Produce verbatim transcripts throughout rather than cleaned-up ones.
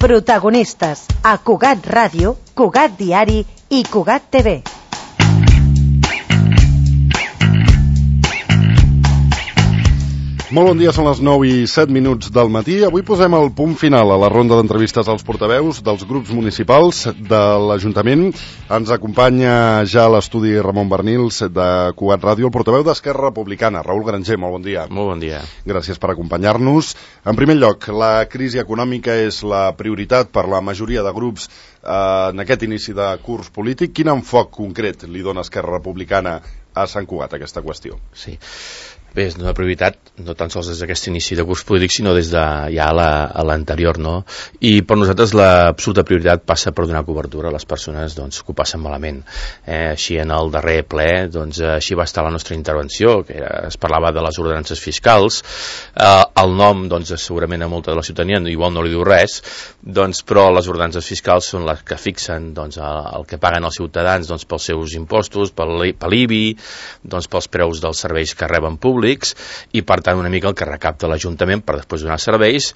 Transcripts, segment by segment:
Protagonistes a Cugat Ràdio, Cugat Diari i Cugat T V. Molt bon dia, són les nou i set minuts del matí. Avui posem el punt final a la ronda d'entrevistes als portaveus dels grups municipals de l'Ajuntament. Ens acompanya ja a l'estudi Ramon Bernils de Cugat Ràdio, el portaveu d'Esquerra Republicana, Raül Granger. Molt bon dia. Molt bon dia. Gràcies per acompanyar-nos. En primer lloc, la crisi econòmica és la prioritat per la majoria de grups eh, en aquest inici de curs polític. Quin enfoc concret li dona Esquerra Republicana a Sant Cugat a aquesta qüestió? Sí. Bé, és una prioritat no tan sols des d'aquest inici de curs polític, sinó des de ja a l'anterior, no? I per nosaltres l'absoluta prioritat passa per donar cobertura a les persones doncs, que ho passen malament. Eh, així en el darrer ple, doncs, així va estar la nostra intervenció, que era, es parlava de les ordenances fiscals. Eh, el nom, doncs, segurament a molta de la ciutadania igual no li diu res, doncs, però les ordenances fiscals són les que fixen doncs, el, el que paguen els ciutadans doncs, pels seus impostos, per l'I B I, doncs, pels preus dels serveis que reben públics, i per tant una mica el que recapta l'Ajuntament per després donar serveis,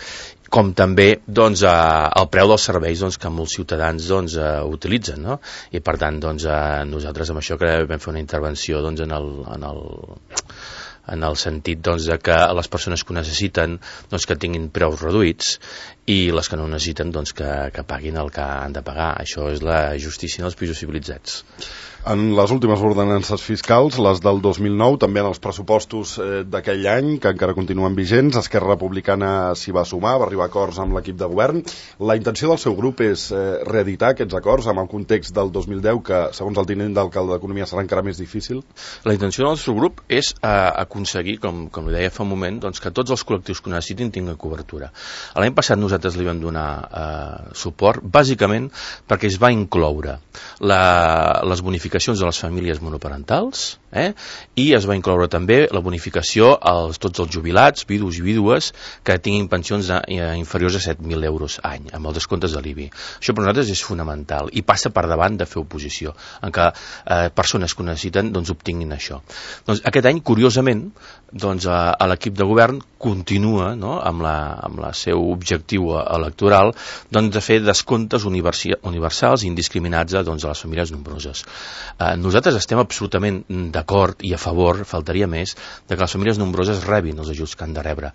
com també doncs, eh, el preu dels serveis doncs, que molts ciutadans doncs, eh, utilitzen, no? I per tant doncs, eh, nosaltres amb això que vam fer una intervenció doncs, en el, en el en el sentit doncs, de que les persones que ho necessiten doncs, que tinguin preus reduïts i les que no ho necessiten doncs, que, que paguin el que han de pagar. Això és la justícia en els països civilitzats. En les últimes ordenances fiscals, les del dos mil nou, també en els pressupostos eh, d'aquell any, que encara continuen vigents, Esquerra Republicana s'hi va sumar, va arribar a acords amb l'equip de govern. La intenció del seu grup és eh, reeditar aquests acords amb el context del dos mil deu, que segons el tinent d'alcalde d'Economia serà encara més difícil? La intenció del seu grup és eh, aconseguir, com, com li deia fa un moment, doncs, que tots els col·lectius que ho necessitin tinguin cobertura. L'any passat nosaltres li vam donar eh, suport, bàsicament perquè es va incloure la, les bonificacions de les famílies monoparentals, eh? I es va incloure també la bonificació als tots els jubilats, vidus i vídues que tinguin pensions de, eh, inferiors a set mil euros any, amb els descomptes de l'I B I. Això per nosaltres és fonamental i passa per davant de fer oposició, en què eh, persones que ho necessiten doncs, obtinguin això. Doncs, aquest any, curiosament, doncs, a, a l'equip de govern continua no? amb, la, amb la seu objectiu electoral doncs, de fer descomptes universals i indiscriminats doncs, a les famílies nombroses. Eh, nosaltres estem absolutament d'acord i a favor, faltaria més, de que les famílies nombroses rebin els ajuts que han de rebre,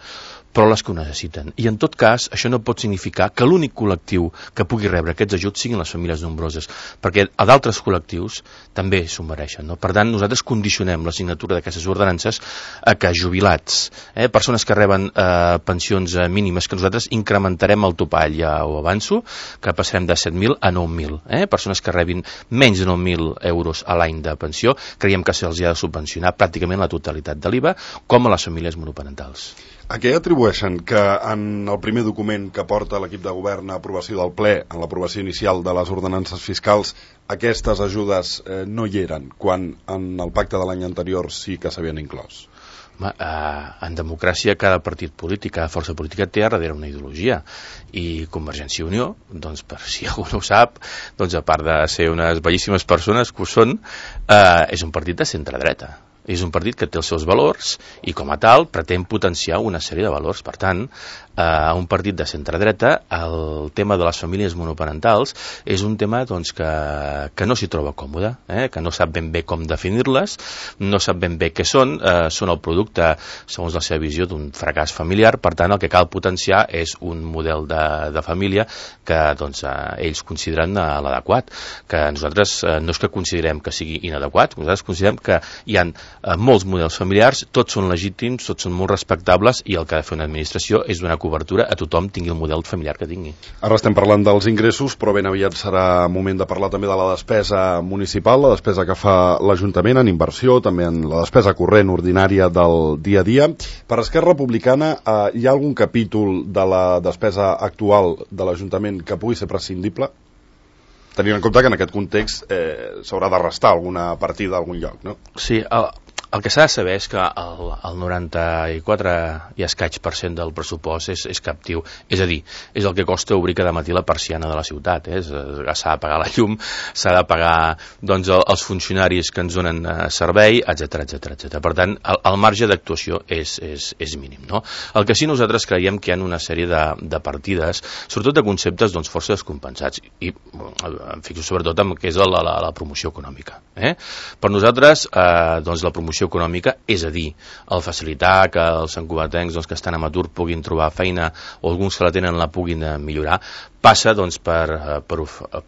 però les que ho necessiten. I en tot cas, això no pot significar que l'únic col·lectiu que pugui rebre aquests ajuts siguin les famílies nombroses, perquè a d'altres col·lectius també s'ho mereixen. No? Per tant, nosaltres condicionem la signatura d'aquestes ordenances a que jubilats, eh, persones que reben eh, pensions eh, mínimes, que nosaltres incrementarem el topall, ja ho avanço, que passarem de set mil a nou mil. Eh? Persones que rebin menys de nou mil euros a l'any de pensió, creiem que se'ls ha de subvencionar pràcticament la totalitat de l'I V A, com a les famílies monoparentals. A què atribueixen que en el primer document que porta l'equip de govern a aprovació del ple, en l'aprovació inicial de les ordenances fiscals, aquestes ajudes eh, no hi eren, quan en el pacte de l'any anterior sí que s'havien inclòs? Home, eh, en democràcia cada partit polític, cada força política té a darrere una ideologia, i Convergència i Unió, doncs per si algú no ho sap, doncs a part de ser unes bellíssimes persones que ho són, eh, és un partit de centre-dreta. És un partit que té els seus valors i com a tal pretén potenciar una sèrie de valors. Per tant, a un partit de centre-dreta el tema de les famílies monoparentals és un tema doncs, que, que no s'hi troba còmode, eh? que no sap ben bé com definir-les, no sap ben bé què són, eh, són el producte, segons la seva visió, d'un fracàs familiar. Per tant, el que cal potenciar és un model de, de família que doncs, eh, ells consideren eh, l'adequat, que nosaltres eh, no és que considerem que sigui inadequat, nosaltres considerem que hi ha eh, molts models familiars, tots són legítims, tots són molt respectables, i el que ha de fer una administració és donar cobertura a tothom, tingui el model familiar que tingui. Ara estem parlant dels ingressos, però ben aviat serà moment de parlar també de la despesa municipal, la despesa que fa l'Ajuntament en inversió, també en la despesa corrent ordinària del dia a dia. Per Esquerra Republicana, eh, hi ha algun capítol de la despesa actual de l'Ajuntament que pugui ser prescindible? Tenint en compte que en aquest context eh, s'haurà de restar alguna partida a algun lloc, no? Sí, el, el que s'ha de saber és que el, el noranta-quatre i escaig per cent del pressupost és, és captiu, és a dir, és el que costa obrir cada matí la persiana de la ciutat, eh? S'ha de pagar la llum, s'ha de pagar doncs, els funcionaris que ens donen eh, servei, etcètera, etcètera, etcètera. Per tant, el, el marge d'actuació és, és, és mínim, no? El que sí nosaltres creiem que hi ha una sèrie de, de partides, sobretot de conceptes doncs, força descompensats, i em fixo sobretot en què és la, la, la promoció econòmica. Eh? Per nosaltres, eh, doncs, la promoció econòmica, és a dir, el facilitar que els santcugatencs doncs, que estan en atur puguin trobar feina o alguns que la tenen la puguin millorar, passa doncs, per, per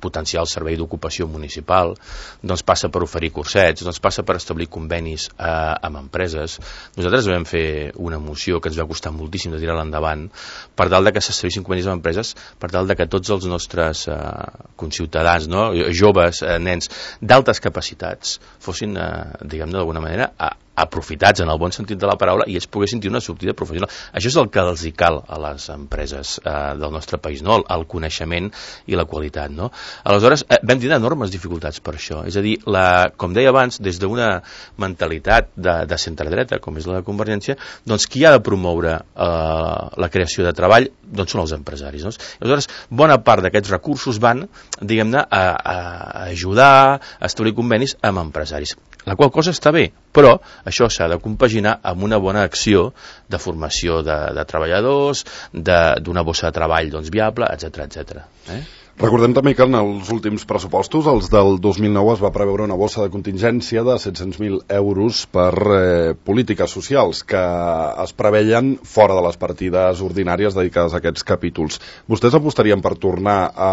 potenciar el servei d'ocupació municipal, doncs passa per oferir cursets, doncs passa per establir convenis eh, amb empreses. Nosaltres vam fer una moció que ens va costar moltíssim de tirar-la endavant per tal de que s'establissin convenis amb empreses, per tal de que tots els nostres eh, conciutadans, no? joves, eh, nens d'altes capacitats fossin, eh, diguem-ne d'alguna manera, a, aprofitats en el bon sentit de la paraula i ells poguessin tenir una sortida professional. Això és el que els hi cal a les empreses eh, del nostre país, no? el, el coneixement i la qualitat. No? Aleshores, eh, vam tenir enormes dificultats per això. És a dir, la, com deia abans, des d'una mentalitat de, de centre-dreta, com és la de Convergència, doncs qui ha de promoure eh, la creació de treball doncs són els empresaris. No? Aleshores, bona part d'aquests recursos van, diguem-ne, a, a ajudar a establir convenis amb empresaris. La qual cosa està bé, però això s'ha de compaginar amb una bona acció de formació de, de treballadors, d'una bossa de treball doncs, viable, etcètera, etcètera. Eh? Recordem també que en els últims pressupostos, els del dos mil nou, es va preveure una bossa de contingència de set-cents mil euros per eh, polítiques socials que es preveien fora de les partides ordinàries dedicades a aquests capítols. Vostès apostarien per tornar a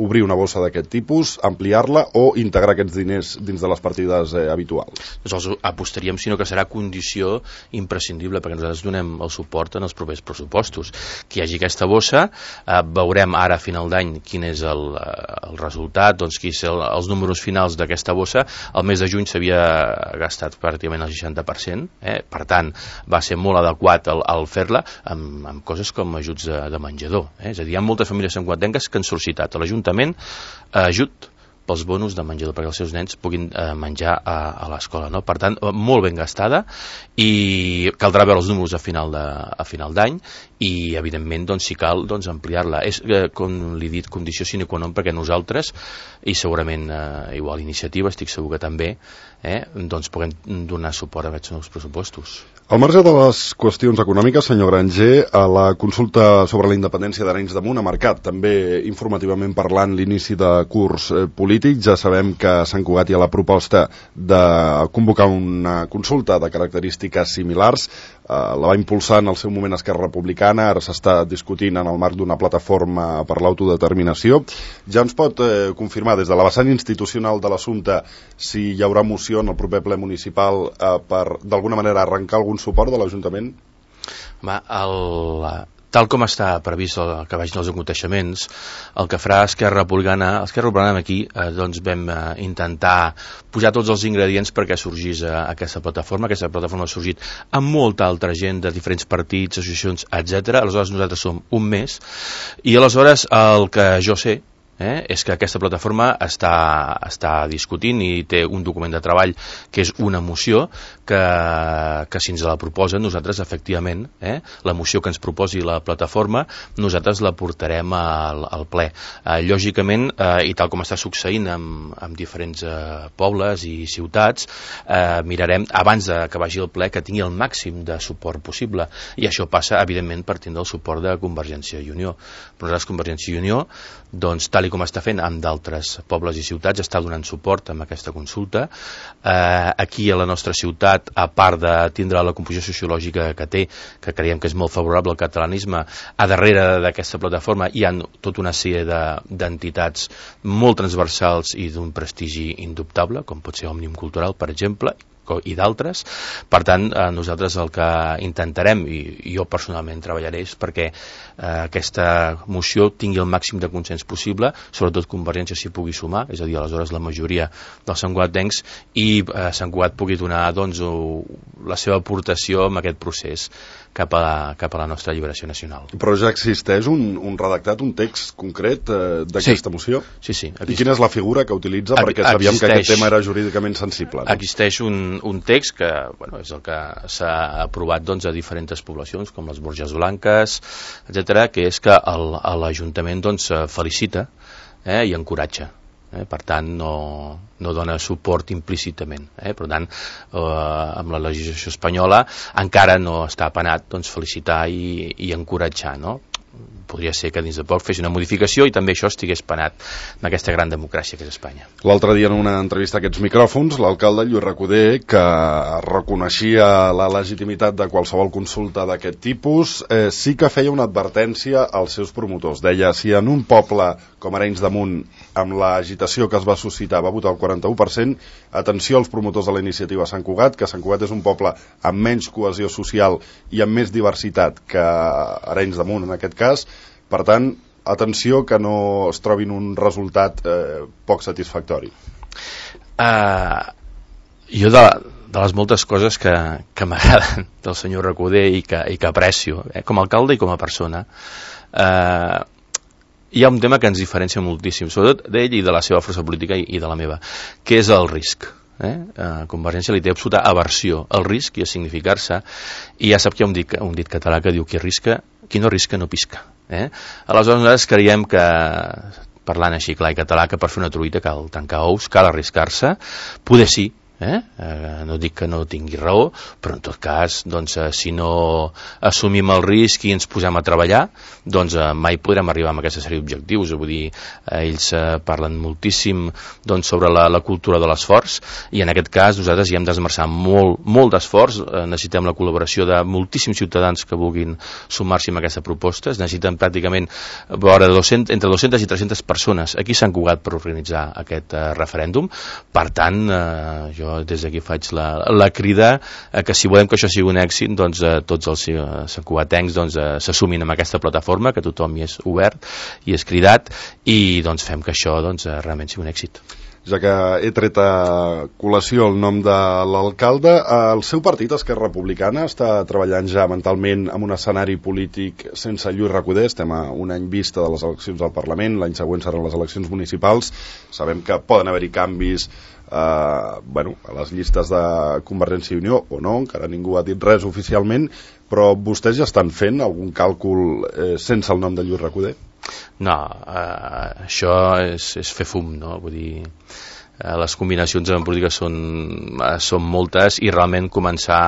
obrir una bossa d'aquest tipus, ampliar-la o integrar aquests diners dins de les partides eh, habituals? Nosaltres apostaríem, sinó que serà condició imprescindible perquè nosaltres donem el suport en els propers pressupostos. Que hi hagi aquesta bossa, eh, veurem ara a final d'any quin és el, el resultat, doncs qui són els números finals d'aquesta bossa. El mes de juny s'havia gastat pràcticament el seixanta per cent, eh? Per tant va ser molt adequat el, el fer-la amb, amb coses com ajuts de, de menjador, eh? És a dir, hi ha moltes famílies santcugatenques que han sol·licitat a l'Ajuntament eh, ajut pels bonus de menjador, perquè els seus nens puguin eh, menjar a, a l'escola. No? Per tant, molt ben gastada, i caldrà veure els números a final de, a final d'any, i evidentment, doncs, si cal, doncs, ampliar-la. És, eh, com li he dit, condició sine qua non, perquè nosaltres, i segurament eh, igual iniciativa, estic segur que també, eh, doncs puguem donar suport a aquests nous pressupostos. Al marge de les qüestions econòmiques, senyor Granger, a la consulta sobre la independència d'Arenys de Munt ha marcat també informativament parlant l'inici de curs eh, polític. Ja sabem que a Sant Cugat hi ha la proposta de convocar una consulta de característiques similars. Eh, la va impulsar en el seu moment Esquerra Republicana, ara s'està discutint en el marc d'una plataforma per l'autodeterminació. Ja ens pot eh, confirmar des de la vessant institucional de l'assumpte si hi haurà moció en el proper ple municipal eh, per d'alguna manera arrencar algun suport de l'Ajuntament? Va, el, tal com està previst el, que vagin els aconteixements, el que farà Esquerra Republicana, Esquerra Republicana aquí eh, doncs vam eh, intentar posar tots els ingredients perquè sorgís eh, aquesta plataforma. Aquesta plataforma ha sorgit amb molta altra gent de diferents partits, associacions, etcètera. Aleshores nosaltres som un mes, i aleshores el que jo sé Eh, és que aquesta plataforma està, està discutint i té un document de treball que és una moció que, que si ens la proposen nosaltres efectivament, eh, la moció que ens proposi la plataforma nosaltres la portarem al, al ple. Eh, lògicament, eh, i tal com està succeint amb, amb diferents eh, pobles i ciutats, eh, mirarem abans de que vagi al ple que tingui el màxim de suport possible, i això passa evidentment per tindre el suport de Convergència i Unió. Però nosaltres Convergència i Unió, doncs tal i com està fent amb d'altres pobles i ciutats, està donant suport amb aquesta consulta. Eh, aquí a la nostra ciutat, a part de tindre la composició sociològica que té, que creiem que és molt favorable al catalanisme, a darrere d'aquesta plataforma hi ha tota una sèrie d'entitats molt transversals i d'un prestigi indubtable, com pot ser Òmnium Cultural, per exemple, i d'altres. Per tant, eh, nosaltres el que intentarem, i jo personalment treballaré, és perquè eh, aquesta moció tingui el màxim de consens possible, sobretot Convergència s'hi pugui sumar, és a dir, aleshores la majoria dels santcugatencs, i eh, Sant Cugat pugui donar doncs, la seva aportació en aquest procés cap a, cap a la nostra alliberació nacional. Però ja existeix un, un redactat, un text concret eh, d'aquesta sí. moció? Sí, sí. I quina és la figura que utilitza? Perquè sabíem que aquest tema era jurídicament sensible. No? Existeix un, un text que bueno, és el que s'ha aprovat doncs, a diferents poblacions, com les Borges Blanques, etcètera, que és que el, l'Ajuntament doncs, felicita eh, i encoratja. Eh, per tant no, no dona suport implícitament, eh? Per tant eh, amb la legislació espanyola encara no està penat doncs, felicitar i, i encoratjar, no? Podria ser que dins de poc fes una modificació i també això estigués penat en aquesta gran democràcia que és Espanya. L'altre dia en una entrevista a aquests micròfons, l'alcalde Lluís Recoder, que reconeixia la legitimitat de qualsevol consulta d'aquest tipus, eh, sí que feia una advertència als seus promotors. Deia, si en un poble com Arenys de Munt, amb l'agitació que es va suscitar, va votar el quaranta-u per cent, atenció als promotors de la iniciativa Sant Cugat, que Sant Cugat és un poble amb menys cohesió social i amb més diversitat que Arenys de Munt en aquest cas. Per tant, atenció que no es trobin un resultat eh, poc satisfactori. Uh, jo de, de les moltes coses que, que m'agraden del senyor Recoder i que, i que aprecio, eh, com a alcalde i com a persona, uh, hi ha un tema que ens diferencia moltíssim, sobretot d'ell i de la seva força política i, i de la meva, que és el risc. Eh? Uh, Convergència li té absoluta aversió al risc i a significar-se, i ja sap que hi ha un dit, un dit català que diu qui risca, qui no risca no pisca. Eh? Aleshores nosaltres creiem que, parlant així clar i català, que per fer una truita cal tancar ous, cal arriscar-se, poder sí, eh? Eh, no dic que no tingui raó, però en tot cas doncs, eh, si no assumim el risc i ens posem a treballar, doncs eh, mai podrem arribar a aquesta sèrie d'objectius. Vull dir, eh, ells eh, parlen moltíssim doncs, sobre la, la cultura de l'esforç, i en aquest cas nosaltres hi hem d'esmerçar molt, molt d'esforç. Eh, necessitem la col·laboració de moltíssims ciutadans que vulguin sumar-s'hi a aquesta proposta. Es necessiten pràcticament vora doscentes, entre dues-centes i tres-centes persones aquí s'han Cugat per organitzar aquest eh, referèndum. Per tant, eh, jo des d'aquí faig la, la crida eh, que si volem que això sigui un èxit, doncs eh, tots els eh, santcugatencs doncs, eh, s'assumin amb aquesta plataforma, que tothom hi és obert i és cridat, i doncs fem que això doncs, eh, realment sigui un èxit. Ja que he tret a col·lació el nom de l'alcalde, el seu partit, Esquerra Republicana, està treballant ja mentalment en un escenari polític sense Lluís Recoder. Estem a un any vista de les eleccions al Parlament, l'any següent seran les eleccions municipals. Sabem que poden haver-hi canvis eh, bueno, a les llistes de Convergència i Unió, o no, encara ningú ha dit res oficialment, però vostès ja estan fent algun càlcul eh, sense el nom de Lluís Recoder? No, eh, això és, és fer fum, no? Vull dir, eh, les combinacions en política són, eh, són moltes, i realment començar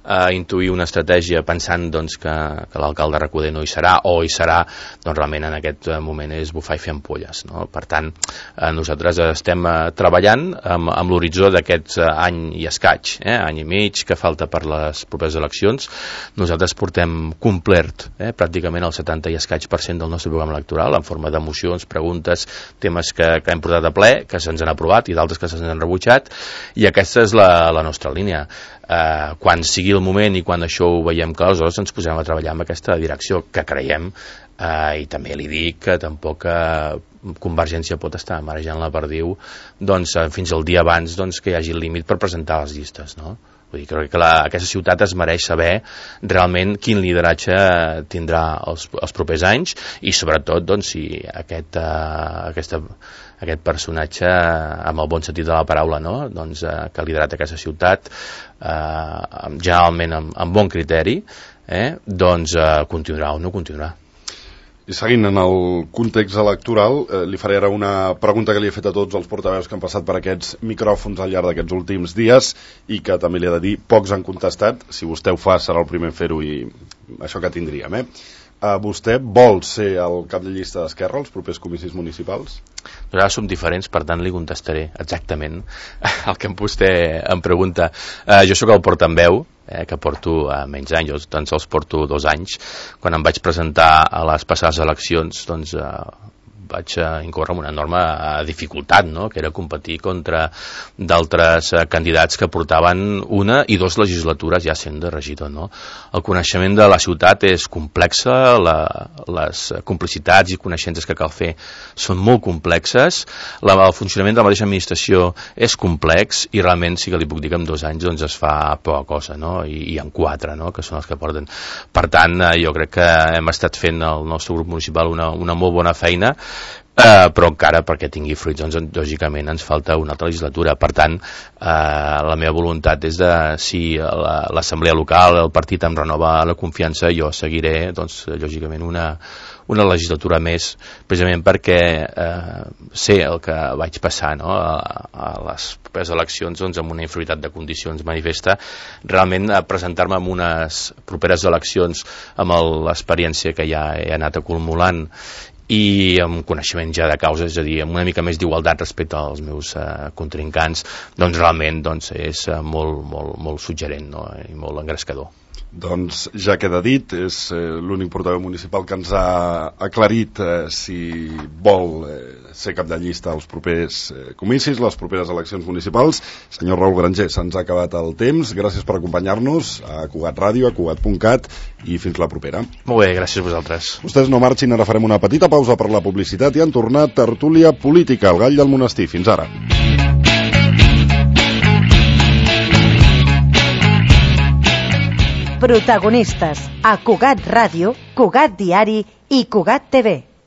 a intuir una estratègia pensant doncs, que, que l'alcalde Recoder no hi serà, o hi serà, doncs realment en aquest moment és bufar i fer ampolles, no? Per tant, eh, nosaltres estem eh, treballant amb, amb l'horitzó d'aquest eh, any i escaig, eh, any i mig que falta per les properes eleccions. Nosaltres portem complert eh, pràcticament el setanta i escaig per cent del nostre programa electoral en forma de mocions, preguntes, temes que, que hem portat a ple, que se'ns han aprovat i d'altres que se'ns han rebutjat, i aquesta és la, la nostra línia. Eh, quan sigui el moment i quan això ho veiem clar, aleshores ens posem a treballar amb aquesta direcció que creiem, eh, i també li dic que tampoc eh, Convergència pot estar marejant la perdiu doncs, eh, fins al dia abans doncs, que hi hagi el límit per presentar les llistes, no? Vull dir, crec que la, aquesta ciutat es mereix saber realment quin lideratge tindrà els, els propers anys, i sobretot doncs, si aquest, uh, aquesta, aquest personatge, amb el bon sentit de la paraula, no? doncs, uh, que ha liderat aquesta ciutat, uh, generalment amb, amb bon criteri, eh? doncs uh, continuarà o no continuarà. I seguint en el context electoral, eh, li faré ara una pregunta que li he fet a tots els portaveus que han passat per aquests micròfons al llarg d'aquests últims dies, i que també li he de dir, pocs han contestat. Si vostè ho fa, serà el primer a fer-ho, i això que tindríem, eh? Uh, vostè vol ser el cap de llista d'Esquerra als propers comicis municipals? Nosaltres som diferents, per tant li contestaré exactament el que vostè em pregunta. Uh, jo sóc el portaveu, eh, que porto uh, menys anys, jo tan sols porto dos anys. Quan em vaig presentar a les passades eleccions, doncs uh, vaig uh, incórrer en una enorme uh, dificultat, no? Que era competir contra d'altres uh, candidats que portaven una i dues legislatures ja sent de regidor, no? El coneixement de la ciutat és complexa, la, les complicitats i coneixences que cal fer són molt complexes, la, el funcionament de la mateixa administració és complex, i realment sí que li puc dir que en dos anys doncs, es fa poca cosa, no? I, i en quatre, no? Que són els que porten. Per tant, uh, jo crec que hem estat fent el nostre grup municipal una, una molt bona feina, Uh, però encara perquè tingui fruits, doncs, lògicament ens falta una altra legislatura. Per tant, uh, la meva voluntat és de, si l'assemblea local, el partit em renova la confiança, jo seguiré, doncs, lògicament una, una legislatura més, precisament perquè eh, sé el que vaig passar, no? a, a les properes eleccions, doncs, amb una inferioritat de condicions manifesta. Realment a presentar-me en unes properes eleccions amb l'experiència que ja he anat acumulant i amb coneixement ja de causa, és a dir, amb una mica més d'igualtat respecte als meus eh, contrincants, doncs realment doncs, és eh, molt, molt, molt suggerent, no? I molt engrescador. Doncs ja queda dit, és eh, l'únic portaveu municipal que ens ha aclarit eh, si vol eh, ser cap de llista als propers eh, comicis, les properes eleccions municipals. Senyor Raül Granger, se'ns ha acabat el temps. Gràcies per acompanyar-nos a Cugat Ràdio, a Cugat punt cat, i fins la propera. Molt bé, gràcies a vosaltres. Vostès no marxin, ara farem una petita pausa per la publicitat i han tornat tertúlia política, el gall del monestir. Fins ara. Protagonistes a Cugat Ràdio, Cugat Diari i Cugat T V.